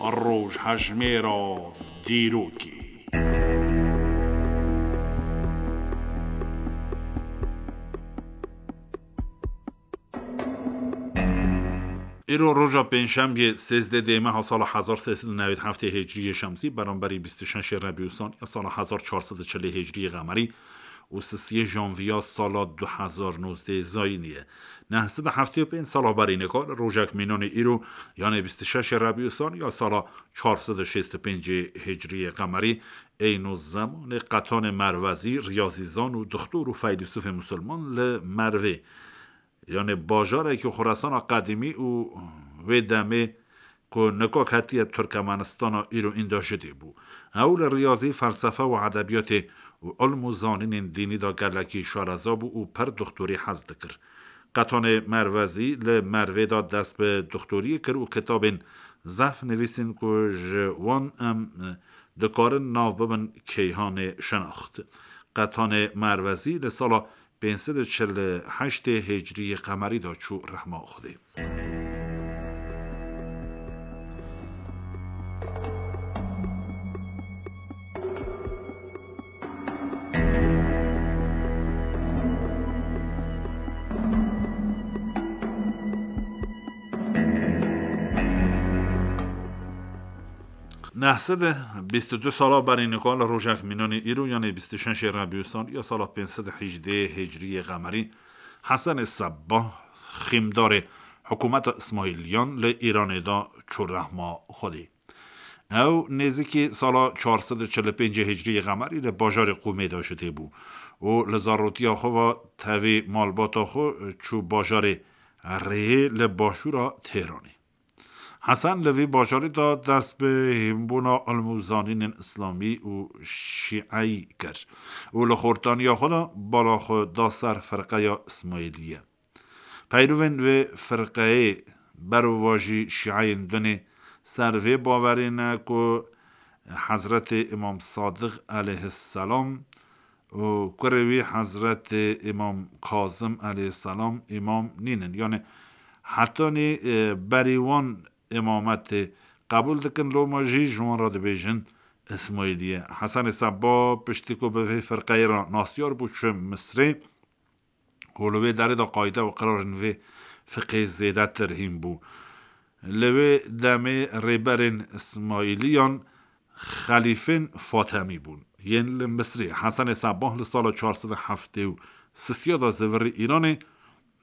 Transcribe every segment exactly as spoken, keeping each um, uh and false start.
Rojhejmêra dîrokê. Îro roja pêncşembiyê sêzdeh dê meha sala hezar sê sed û newî heftê hicriyê şemsî, beramberî bîst û şeşê Rebî Usan ya sala hezar çar sed û çilê hicriyê qemerî û sisiyê janviya sala du hezar nozdeh zayînî ye. Neh sed û heftê û pênc sala berî nika li rojek mînanê îro, yanê bîst û şeşê Rebî Usan ya sala çar sed û şêst û pêncê hicriyê qemerî, eyno zemanê Qetanê Merwezî, riyazîzan û dixtor û feylîsûfê musulman li Mervê, yanê bajarekî Xoresana qedîmî û wê demê ku nika ketiye Turkmenistana îro, înda jidê bû. Ew li riyazî, felsefe û edebiyatê û ilm û zanînên dînî de gelekî şareza bû û pir dixtorî hez dikir. Qetanê Merwezî li Mervê de dest bi dixtoriyê kir û kitabên zehf nivîsîn ku ji wan em dikarin nav bibin Keyhanê Şinaxt. Qetanê Merwezî li sala pênc sed û çil û heştê hicriyê qemerî de çû rehma Xwedê. Neh sed û bîst û du sala berî nika li rojek mînanê îro, yanê bîst û şeşê Rebî Usan ya sala pênc sed û hejdeh hicriyê qemerî, Hesenê Sebbah, xîmdarê hikûmeta Îsmaîliyan li Îranê de çû rehma Xwedê. Ew nêzîkî sala çar sed û çil û pêncê hicriyê qemerî li bajarê Qûmê de ji tê bû û li zarotiya xwe ve tevî malbata xwe çû bajarê Rihê li başûra Tehranê. Hesen li vî bajarî de dest bi hînbûna ilm û zanînên îslamî û şîeyî kir û li xortaniya xwe de bala xwe da ser firqeya Îsmaîliyê. Peyrovên vê firqeyê berovajî şîeyên dinê ser vê bawerê ne ku Hezretê Îmam Sadiq eleyhisselam û kurê wî Hezretê Îmam Kazim eleyhisselam îmam nînin. Yanî hetanî, e, berî wan îmametê qebûl dikin, loma jî ji wan re dibêjin Îsmaîliyê. Hesenê Seba piştî ku bi vê firqeyê re nasyar bû, çû Misrê û li wê derê de qayde û qirarên vê fiqê zêdetir hîn bû. Li wê demê rêberên Îsmaîliyan xelîfên Fatemî bûn. Yên li Misrê Hesenê Sebah li sala çar sed û heftê û sisiya de zivirî Îranê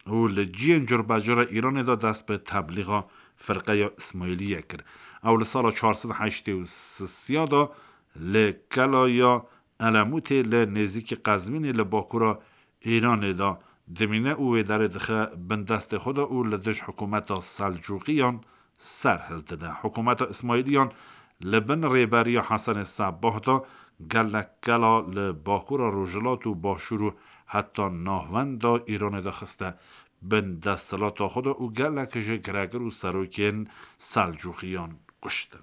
û li ciyên curbecur a Îranê de dest bi teblîxa firqeya Îsmaîliyê kir. Ew li sala çar sed û heştê û sisiya de li Kelaya Elemûtê li nêzîkî Qezvînê li bakura Îranê de dimîne û wê derê dixe bin destê xwe de û li dij hikûmeta Selcûqiyan ser hildide. Hikûmeta Îsmaîliyan li bin rêberiya Hesenê Sebah de gelek kela li bakura rojhilat û başûr û heta navenda Îranê de xiste bin desthilata xwe de û gelek ji giregir û serokên Selcûqiyan kuştin.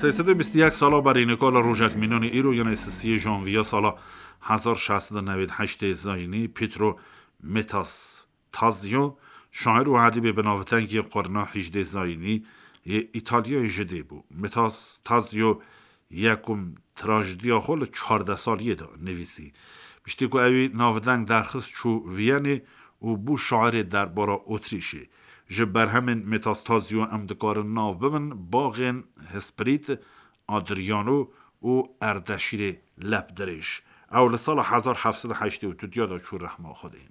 Sê sed û bîst û yek sala berî nika li rojek mînanê îro, yanê sisiyê janviya sala hezar şeş sed û newêd heştê zayînî, Pietro Metastasio, şair û edîbê binavdengê qurna hejdê zayînî yê Îtalyayê ji dê bû. Metastasio yekum trajediya xwe li çardeh saliyê de nivîsî. Piştî ku ewî navdeng derxist, çû Viyanê û bû şairê derbara Otrîşê. Ji berhemên Metastasio em dikarin nav bibin baxên Hesprît, Adriano û Erdeşîrê Lepdirêj. Ew li sala hezar heft sed û heştê û du de çû rehma Xwedê.